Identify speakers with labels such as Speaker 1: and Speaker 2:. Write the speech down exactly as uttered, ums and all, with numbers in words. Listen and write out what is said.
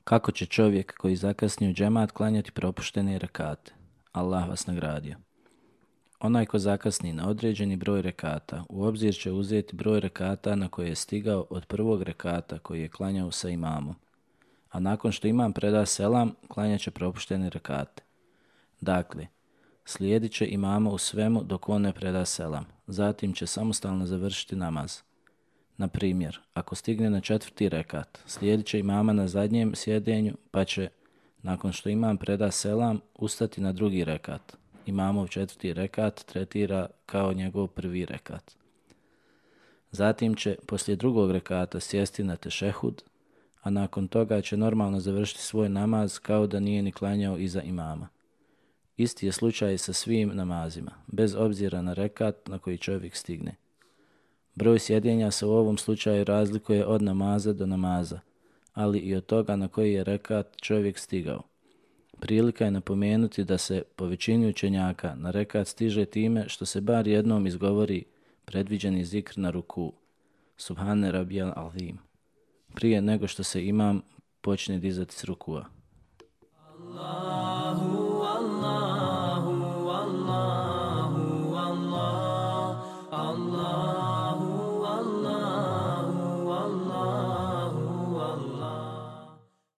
Speaker 1: Kako će čovjek koji zakasni u džemat klanjati propuštene rekate? Allah vas nagradio. Onaj ko zakasni na određeni broj rekata, u obzir će uzeti broj rekata na koje je stigao od prvog rekata koji je klanjao sa imamom. A nakon što imam preda selam, klanjat će propuštene rekate. Dakle, slijedit će imama u svemu dok on ne preda selam. Zatim će samostalno završiti namaz. Na primjer, ako stigne na četvrti rekat, slijedit će imama na zadnjem sjedenju, pa će, nakon što imam preda selam, ustati na drugi rekat. Imamov četvrti rekat tretira kao njegov prvi rekat. Zatim će poslije drugog rekata sjesti na tešehud, a nakon toga će normalno završiti svoj namaz kao da nije ni klanjao iza imama. Isti je slučaj sa svim namazima, bez obzira na rekat na koji čovjek stigne. Broj sjedenja se u ovom slučaju razlikuje od namaza do namaza, ali i od toga na koji je rekat čovjek stigao. Prilika je napomenuti da se po većini učenjaka na rekat stiže time što se bar jednom izgovori predviđeni zikr na ruku, Subhane Rabijal Azim, prije nego što se imam počne dizati s rukua. Allah.